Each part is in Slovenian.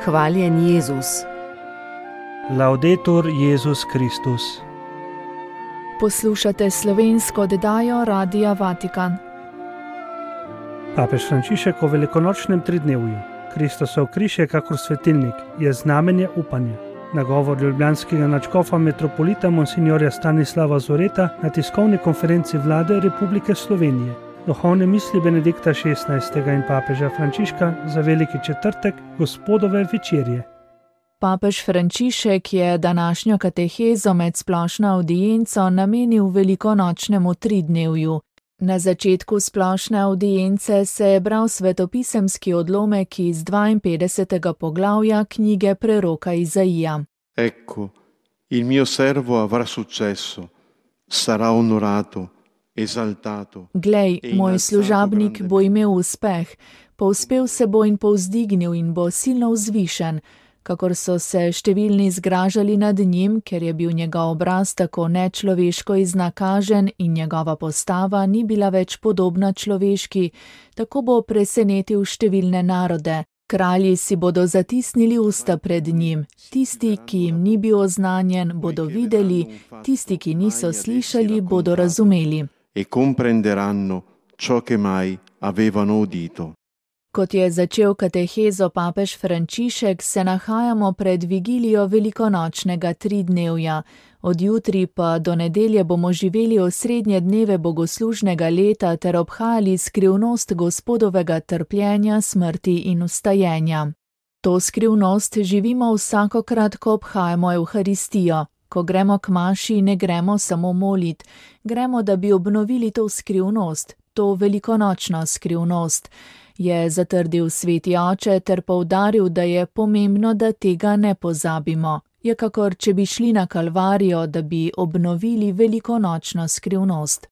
Hvaljen Jezus. Laudetur Jezus Kristus. Poslušate slovensko oddajo Radia Vatikan. Papež Frančišek o velikonočnem tridnevju. Kristusov križ je kakor svetilnik, je znamenje upanja. Nagovor ljubljanskega nadškofa metropolita monsignorja Stanislava Zoreta na tiskovni konferenci vlade Republike Slovenije. Duhovne misli Benedikta XVI. In papeža Frančiška za veliki četrtek Gospodove večerje. Papež Frančišek je današnjo katehezo med splošno avdienco namenil velikonočnemu tridnevju. Na začetku splošne avdience se je bral svetopisemski odlomek iz 52. poglavja knjige preroka Izaija. Ecco, il mio servo avrà successo, sarà onorato, esaltato. Glej, moj služabnik bo imel uspeh, povzpel se bo in povzdignil in bo silno vzvišen, kakor so se številni zgražali nad njim, ker je bil njegov obraz tako nečloveško iznakažen in njegova postava ni bila več podobna človeški, tako bo presenetil številne narode. Kralji si bodo zatisnili usta pred njim, tisti, ki jim ni bil oznanjen, bodo videli, tisti, ki niso slišali, bodo razumeli. E comprenderanno ciò che mai avevano udito. Kot je začel katehezo papež Frančišek, se nahajamo pred vigilijo velikonočnega tridnevja. Od jutri pa do nedelje bomo živeli osrednje dneve bogoslužnega leta ter obhajali skrivnost Gospodovega trpljenja, smrti in vstajenja. To skrivnost živimo vsakokrat, ko obhajamo Evharistijo. Ko gremo k maši, ne gremo samo molit, gremo, da bi obnovili to skrivnost, to velikonočno skrivnost, je zatrdil sveti oče ter poudaril, da je pomembno, da tega ne pozabimo. Je kakor, če bi šli na Kalvarijo, da bi obnovili velikonočno skrivnost.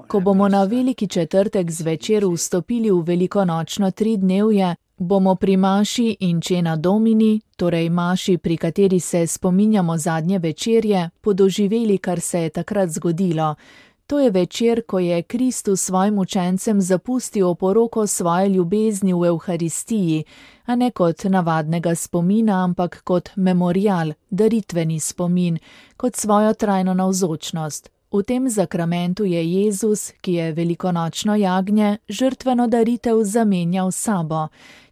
Ko bomo na veliki četrtek zvečer vstopili v velikonočno tridnevje, bomo pri maši Incena Domini, torej maši, pri kateri se spominjamo zadnje večerje, podoživeli, kar se je takrat zgodilo. To je večer, ko je Kristus svojim učencem zapustil oporoko svoje ljubezni v Evharistiji, a ne kot navadnega spomina, ampak kot memorial, daritveni spomin, kot svojo trajno navzočnost. V tem zakramentu je Jezus, ki je velikonočno jagnje, žrtveno daritev zamenjal s sabo.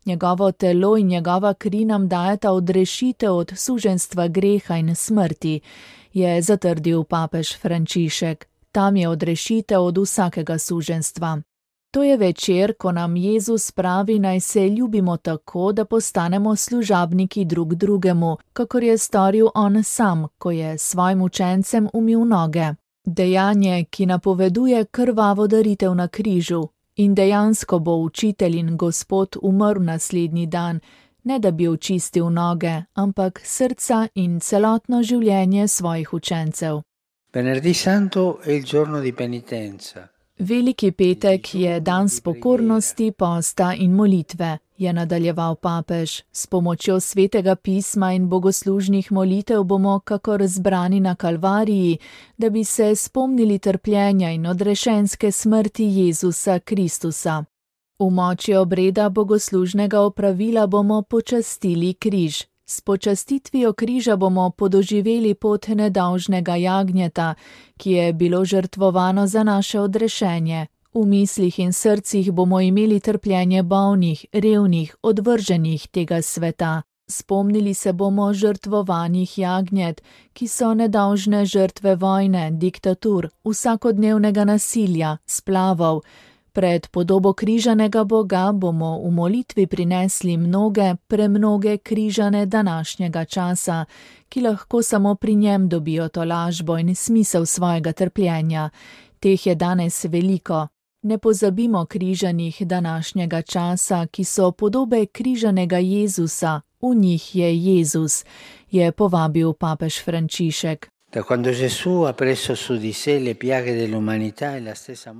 Njegovo telo in njegova kri nam dajeta odrešitev od suženjstva greha in smrti, je zatrdil papež Frančišek. Tam je odrešitev od vsakega suženjstva. To je večer, ko nam Jezus pravi, naj se ljubimo tako, da postanemo služabniki drug drugemu, kakor je storil on sam, ko je svojim učencem umil noge. Dejanje, ki napoveduje krvavo daritev na križu. In dejansko bo učitelj in Gospod umrl naslednji dan, ne da bi očistil noge, ampak srca in celotno življenje svojih učencev. Venerdì Santo è il giorno di penitenza. Veliki petek je dan spokornosti, posta in molitve, je nadaljeval papež. S pomočjo svetega pisma in bogoslužnih molitev bomo kakor zbrani na Kalvariji, da bi se spomnili trpljenja in odrešenske smrti Jezusa Kristusa. V moči obreda bogoslužnega opravila bomo počastili križ. S počastitvijo križa bomo podoživeli pot nedolžnega jagnjeta, ki je bilo žrtvovano za naše odrešenje. V mislih in srcih bomo imeli trpljenje bolnih, revnih, odvrženih tega sveta. Spomnili se bomo žrtvovanih jagnjet, ki so nedolžne žrtve vojne, diktatur, vsakodnevnega nasilja, splavov. Pred podobo križanega Boga bomo v molitvi prinesli premnoge križane današnjega časa, ki lahko samo pri njem dobijo tolažbo in smisel svojega trpljenja. Teh je danes veliko. Ne pozabimo križanih današnjega časa, ki so podobe križanega Jezusa, v njih je Jezus, je povabil papež Frančišek.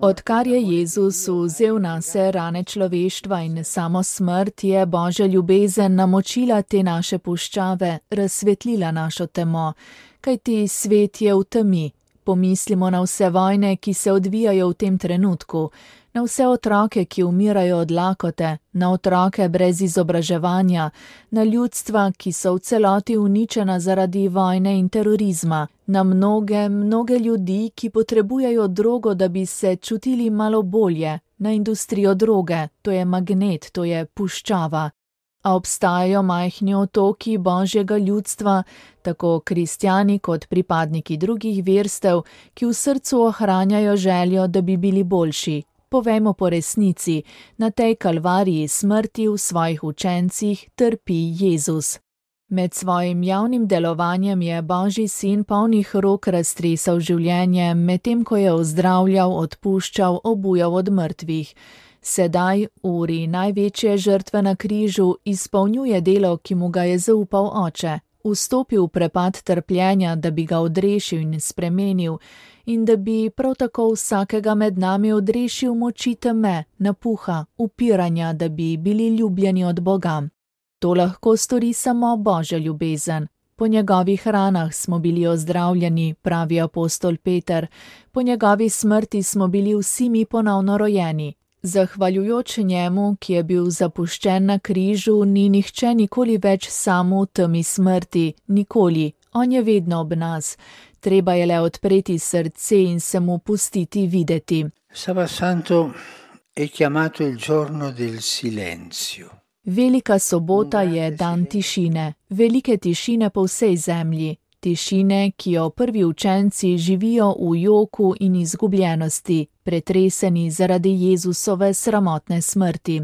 Odkar je Jezus vzel nase rane človeštva in samo smrt, je Božja ljubezen namočila te naše puščave, razsvetlila našo temo, kajti svet je v temi. Pomislimo na vse vojne, ki se odvijajo v tem trenutku. na vse otroke, ki umirajo od lakote, na otroke brez izobraževanja, na ljudstva, ki so v celoti uničena zaradi vojne in terorizma, na mnoge ljudi, ki potrebujejo drogo, da bi se čutili malo bolje, na industrijo droge, to je magnet, to je puščava. A obstajajo majhni otoki božjega ljudstva, tako kristjani kot pripadniki drugih verstev, ki v srcu ohranjajo željo, da bi bili boljši. Povejmo po resnici, na tej kalvariji smrti v svojih učencih trpi Jezus. Med svojim javnim delovanjem je Božji sin polnih rok raztresal življenje, medtem ko je ozdravljal, odpuščal, obujal od mrtvih. Sedaj, v uri največje žrtve na križu, izpolnjuje delo, ki mu ga je zaupal Oče. Vstopil v prepad trpljenja, da bi ga odrešil in spremenil, in da bi prav tako vsakega med nami odrešil moči teme, napuha, upiranja, da bi bili ljubljeni od Boga. To lahko stori samo Božja ljubezen. Po njegovih ranah smo bili ozdravljeni, pravi apostol Peter, po njegovi smrti smo bili vsi mi ponovno rojeni. Zahvaljujoč njemu, ki je bil zapuščen na križu, ni nihče nikoli več sam v temi smrti, nikoli, on je vedno ob nas. Treba je le odpreti srce in se mu pustiti videti. Sabato Santo è chiamato il giorno del silenzio. Velika sobota je dan tišine, velike tišine po vsej zemlji. Tišine, ki jo prvi učenci živijo v joku in izgubljenosti, pretreseni zaradi Jezusove sramotne smrti.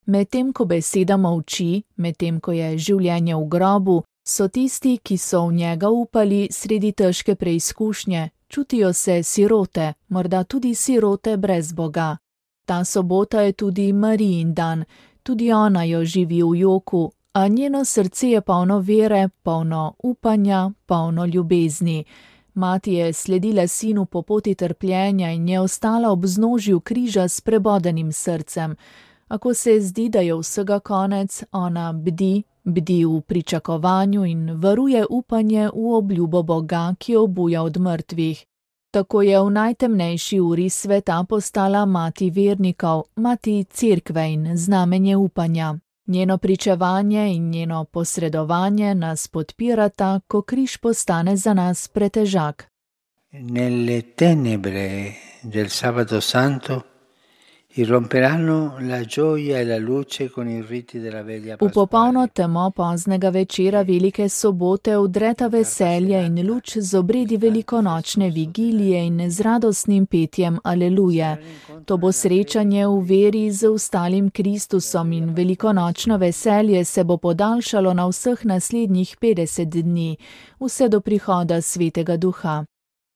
Medtem ko beseda molči, medtem ko je življenje v grobu, so tisti, ki so v njega upali sredi težke preizkušnje, čutijo se sirote, morda tudi sirote brez Boga. Ta sobota je tudi Marijin dan, tudi ona jo živi v joku, a njeno srce je polno vere, polno upanja, polno ljubezni. Mati je sledila sinu po poti trpljenja in je ostala ob vznožju križa s prebodenim srcem. Ako se zdi, da je vsega konec, ona bdi v pričakovanju in varuje upanje v obljubo Boga, ki obuja od mrtvih. Tako je v najtemnejši uri sveta postala mati vernikov, mati cerkve in znamenje upanja. Njeno pričevanje in njeno posredovanje nas podpirata, ko križ postane za nas pretežak. Nelle tenebre del Sabato Santo irromperanno la gioia e la luce con i riti della veglia pasquale. V popolno pasquale. temo poznega večera velike sobote vdreta veselje in luč z obredi velikonočne vigilije in z radostnim petjem Aleluje. To bo srečanje v veri z ustalim Kristusom in velikonočno veselje se bo podaljšalo na vseh naslednjih 50 dni, vse do prihoda Svetega Duha.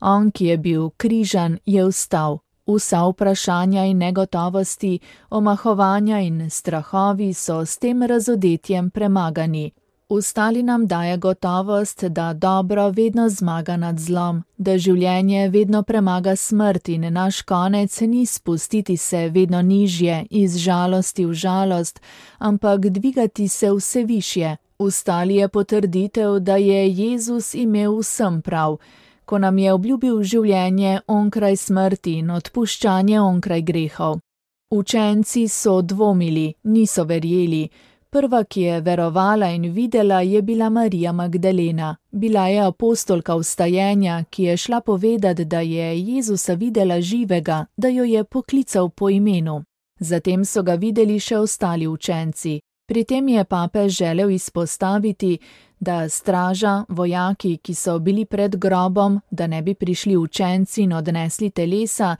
On, ki je bil križan, je vstal. Vsa vprašanja in negotovosti, omahovanja in strahovi so s tem razodetjem premagani. Vstali nam daje gotovost, da dobro vedno zmaga nad zlom, da življenje vedno premaga smrt in naš konec ni spustiti se vedno nižje, iz žalosti v žalost, ampak dvigati se vse višje. Vstali je potrditev, da je Jezus imel vsem prav, ko nam je obljubil življenje onkraj smrti in odpuščanje onkraj grehov. Učenci so dvomili, niso verjeli. Prva, ki je verovala in videla, je bila Marija Magdalena. Bila je apostolka vstajenja, ki je šla povedat, da je Jezusa videla živega, da jo je poklical po imenu. Zatem so ga videli še ostali učenci. Pri tem je papež želel izpostaviti, da straža, vojaki, ki so bili pred grobom, da ne bi prišli učenci in odnesli telesa,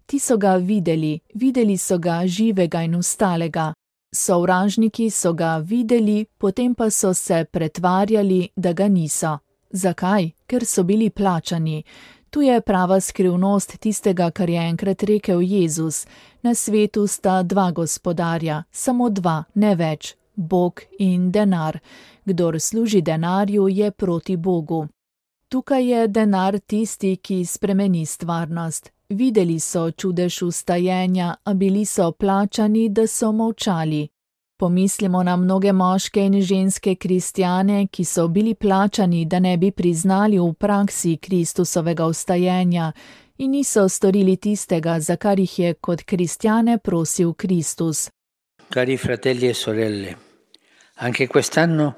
ti so ga videli so ga živega in vstalega. Sovražniki so ga videli, potem pa so se pretvarjali, da ga niso. Zakaj? Ker so bili plačani. Tu je prava skrivnost tistega, kar je enkrat rekel Jezus. Na svetu sta dva gospodarja, samo dva, ne več, Bog in denar. Kdor služi denarju, je proti Bogu. Tukaj je denar tisti, ki spremeni stvarnost. Videli so čudež vstajenja, a bili so plačani, da so molčali. Pomislimo na mnoge moške in ženske kristjane, ki so bili plačani, da ne bi priznali v praksi Kristusovega vstajenja, in niso storili tistega, za kar jih je kot kristjane prosil Kristus. Cari fratelli e sorelle, anche quest'anno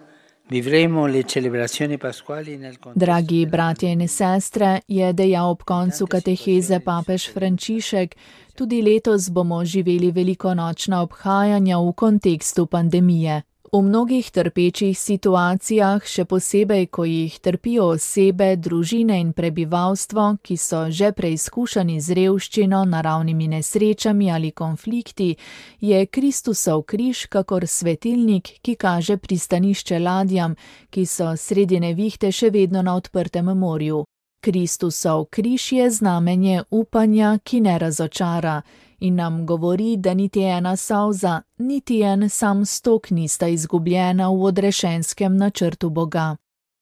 vivremo le celebrazioni pasquali nel contesto. Dragi bratje in sestre, je dejal ob koncu kateheze papež Frančišek, tudi letos bomo živeli velikonočna obhajanja v kontekstu pandemije. V mnogih trpečih situacijah, še posebej, ko jih trpijo osebe, družine in prebivalstvo, ki so že preizkušani z revščino, naravnimi nesrečami ali konflikti, je Kristusov križ kakor svetilnik, ki kaže pristanišče ladjam, ki so sredi nevihte še vedno na odprtem morju. Kristusov križ je znamenje upanja, ki ne razočara, in nam govori, da niti ena solza, niti en sam stok nista izgubljena v odrešenskem načrtu Boga.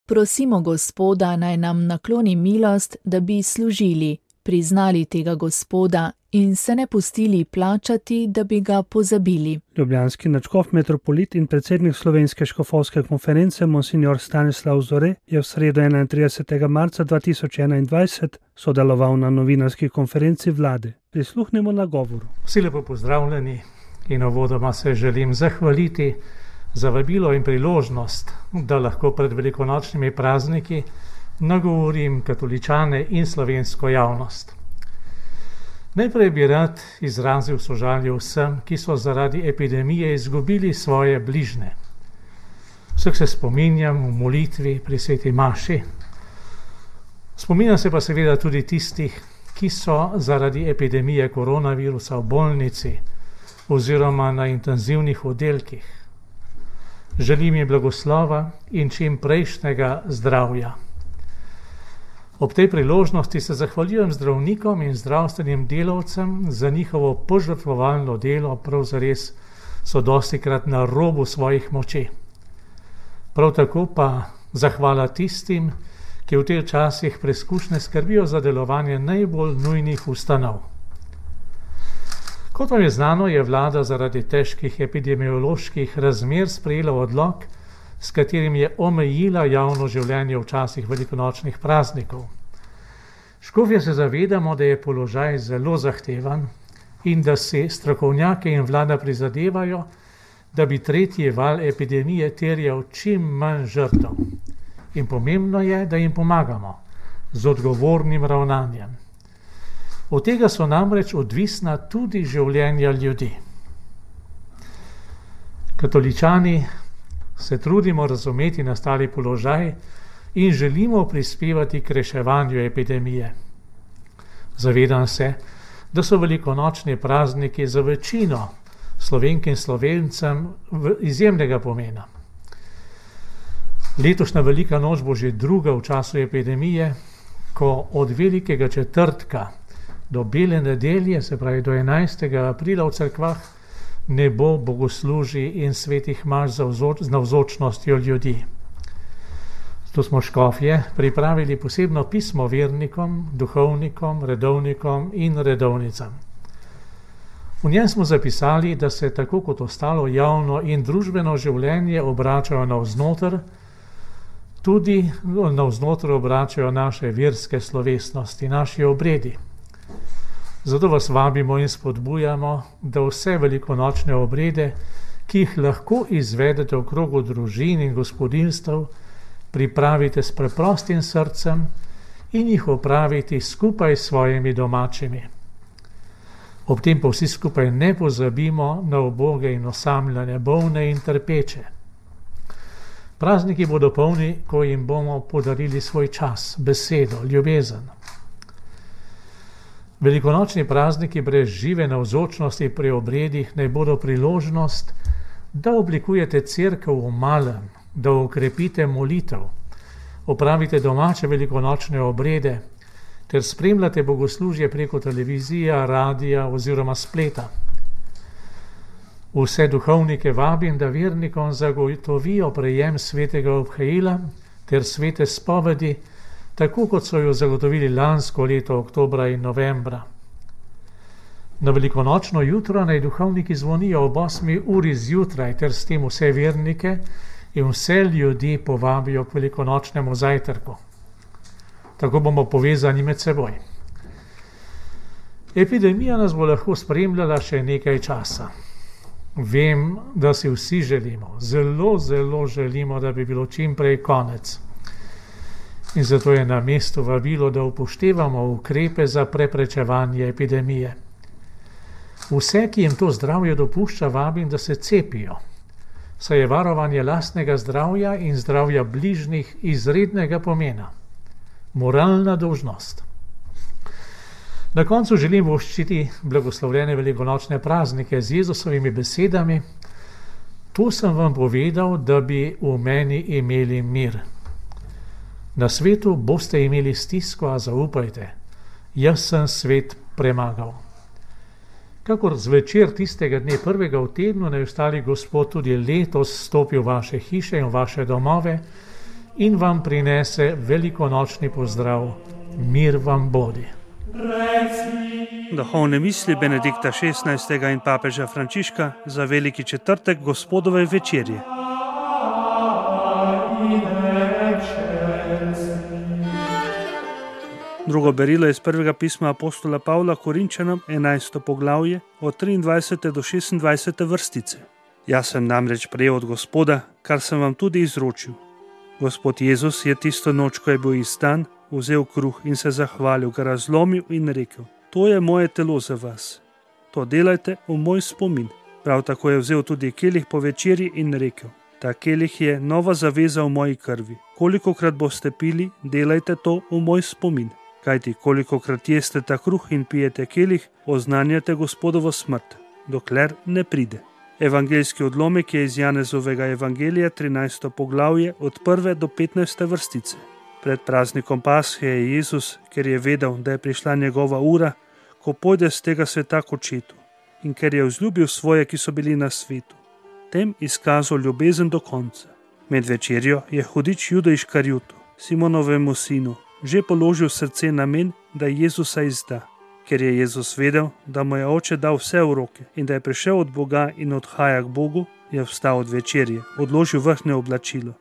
Prosimo Gospoda, naj nam nakloni milost, da bi služili, priznali tega Gospoda in se ne pustili plačati, da bi ga pozabili. Ljubljanski nadškof metropolit in predsednik Slovenske škofovske konference monsignor Stanislav Zore je v sredo 31. marca 2021 sodeloval na novinarski konferenci vlade. Prisluhnimo nagovoru. Vsi lepo pozdravljeni in uvodoma se želim zahvaliti za vabilo in priložnost, da lahko pred velikonočnimi prazniki nagovorim katoličane in slovensko javnost. Najprej bi rad izrazil sožalje vsem, ki so zaradi epidemije izgubili svoje bližne. Vseh se spominjam v molitvi pri sveti maši. Spominjam se pa seveda tudi tistih, ki so zaradi epidemije koronavirusa v bolnici oziroma na intenzivnih oddelkih. Želim jim blagoslova in čim prejšnjega zdravja. Ob tej priložnosti se zahvaljujem zdravnikom in zdravstvenim delavcem za njihovo požrtvovalno delo, prav zares so dostikrat na robu svojih moči. Prav tako pa zahvala tistim, ki v teh časih preizkušnje skrbijo za delovanje najbolj nujnih ustanov. Kot vam je znano, je vlada zaradi težkih epidemioloških razmer sprejela odlok, s katerim je omejila javno življenje v časih velikonočnih praznikov. Škofje se zavedamo, da je položaj zelo zahteven in da si strokovnjaki in vlada prizadevajo, da bi tretji val epidemije terjal čim manj žrtev. In pomembno je, da jim pomagamo z odgovornim ravnanjem. Od tega so namreč odvisna tudi življenja ljudi. Katoličani se trudimo razumeti nastali položaj in želimo prispevati k reševanju epidemije. Zavedam se, da so velikonočni prazniki za večino Slovenk in Slovencem izjemnega pomena. Letošnja velika noč bo že druga v času epidemije, ko od velikega četrtka do bele nedelje, se pravi do 11. aprila v cerkvah, ne bo bogoslužij in svetih maš z navzočnostjo ljudi. Zato smo škofje pripravili posebno pismo vernikom, duhovnikom, redovnikom in redovnicam. V njem smo zapisali, da se tako kot ostalo javno in družbeno življenje obračajo navznoter, tudi navznoter obračajo naše verske slovesnosti, naši obredi. Zato vas vabimo in spodbujamo, da vse velikonočne obrede, ki jih lahko izvedete v krogu družin in gospodinjstev, pripravite s preprostim srcem in jih opraviti skupaj s svojimi domačimi. Ob tem pa vsi skupaj ne pozabimo na uboge in osamljene, bolne in trpeče. Prazniki bodo polni, ko jim bomo podarili svoj čas, besedo, ljubezen. Velikonočni prazniki brez žive navzočnosti pri obredih naj bodo priložnost, da oblikujete cerkev v malem, da okrepite molitev, opravite domače velikonočne obrede ter spremljate bogoslužje preko televizije, radia oziroma spleta. Vse duhovnike vabim, da vernikom zagotovijo prejem svetega obhajila ter svete spovedi, tako kot so jo zagotovili lansko leto oktobra in novembra. Na velikonočno jutro naj duhovniki zvonijo ob 8. uri zjutraj ter s tem vse vernike in vse ljudi povabijo k velikonočnemu zajtrku. Tako bomo povezani med seboj. Epidemija nas bo lahko spremljala še nekaj časa. Vem, da si vsi želimo, zelo, zelo želimo, da bi bilo čim prej konec. In zato je na mestu vabilo, da upoštevamo ukrepe za preprečevanje epidemije. Vse, ki jim to zdravje dopušča, vabim, da se cepijo, saj je varovanje lastnega zdravja in zdravja bližnjih izrednega pomena. Moralna dolžnost. Na koncu želim voščiti blagoslovljene velikonočne praznike z Jezusovimi besedami. To sem vam povedal, da bi v meni imeli mir. Na svetu boste imeli stisko, a zaupajte, jaz sem svet premagal. Kakor zvečer tistega dne prvega v tednu, naj ostali Gospod tudi letos stopi v vaše hiše in v vaše domove in vam prinese velikonočni pozdrav. Mir vam bodi. Duhovne misli Benedikta XVI. In papeža Frančiška za veliki četrtek Gospodove večerje. Drugo berilo je iz prvega pisma apostola Pavla Korinčanom, 11. poglavje, od 23. do 26. vrstice. Jaz sem namreč prejel od Gospoda, kar sem vam tudi izročil. Gospod Jezus je tisto noč, ko je bil izdan, vzel kruh in se zahvalil, ga razlomil in rekel: To je moje telo za vas. To delajte v moj spomin. Prav tako je vzel tudi kelih po večerji in rekel: Ta kelih je nova zaveza v moji krvi. Kolikokrat boste pili, delajte to v moj spomin. Kajti kolikokrat jeste ta kruh in pijete kelih, oznanjate Gospodovo smrt, dokler ne pride. Evangeljski odlomek je iz Janezovega evangelija, 13. poglavje, od 1. do 15. vrstice. Pred praznikom Pashe je Jezus, ker je vedel, da je prišla njegova ura, ko pojde z tega sveta k očetu, in ker je vzljubil svoje, ki so bili na svetu, tem izkazal ljubezen do konca. Med večerjo je hudič Juda Iškarjutu, Simonovemu sinu, že položil srce namen, da Jezusa izda. Ker je Jezus vedel, da mu je oče dal vse v roke in da je prišel od Boga in odhaja k Bogu, je vstal od večerje, odložil vrhnje oblačilo,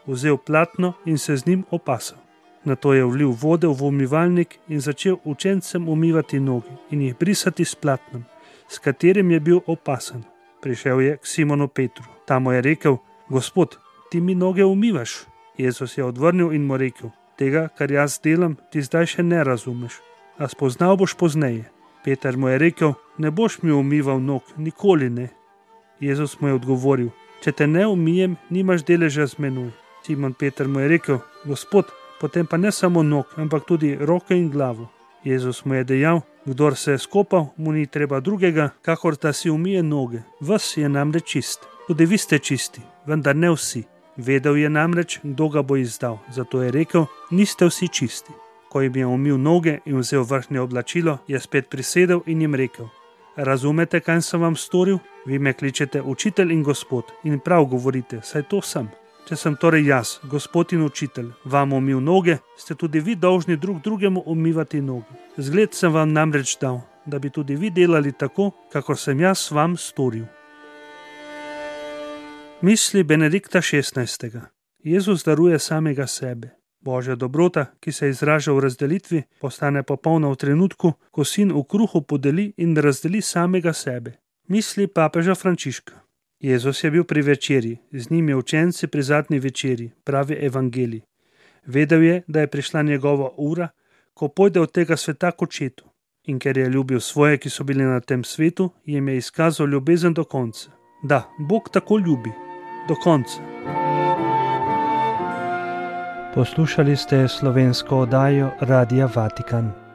vzel platno in se z njim opasal. Nato je vlil vode v umivalnik in začel učencem umivati noge in jih brisati s platnom, s katerim je bil opasan. Prišel je k Simonu Petru. Ta mu je rekel: Gospod, ti mi noge umivaš. Jezus je odvrnil in mu rekel: Tega, kar jaz delam, ti zdaj še ne razumeš, a spoznal boš pozneje. Peter mu je rekel: Ne boš mi umival nog, nikoli ne. Jezus mu je odgovoril: Če te ne umijem, nimaš deleža z menoj. Simon Peter mu je rekel: Gospod, potem pa ne samo nog, ampak tudi roke in glavo. Jezus mu je dejal: Kdor se je skopal, mu ni treba drugega, kakor da si umije noge. Ves je namreč čist. Tudi vi ste čisti, vendar ne vsi. Vedel je namreč, kdo ga bo izdal, zato je rekel: Niste vsi čisti. Ko jim je umil noge in vzel vrhnje oblačilo, je spet prisedel in jim rekel: Razumete, kaj sem vam storil? Vi me kličete učitelj in gospod in prav govorite, saj to sem. Če sem torej jaz, gospod in učitelj, vam umil noge, ste tudi vi dolžni drug drugemu umivati noge. Zgled sem vam namreč dal, da bi tudi vi delali tako, kakor sem jaz vam storil. Misli Benedikta XVI. Jezus daruje samega sebe. Božja dobrota, ki se izraža v razdelitvi, postane popolna v trenutku, ko sin v kruhu podeli in razdeli samega sebe. Misli papeža Frančiška. Jezus je bil pri večerji, z njim je učenci pri zadnji večerji, pravi evangelij. Vedel je, da je prišla njegova ura, ko pojde od tega sveta k očetu. In ker je ljubil svoje, ki so bili na tem svetu, jim je izkazal ljubezen do konca. Da, Bog tako ljubi. Do konca. Poslušali ste slovensko oddajo Radia Vatikan.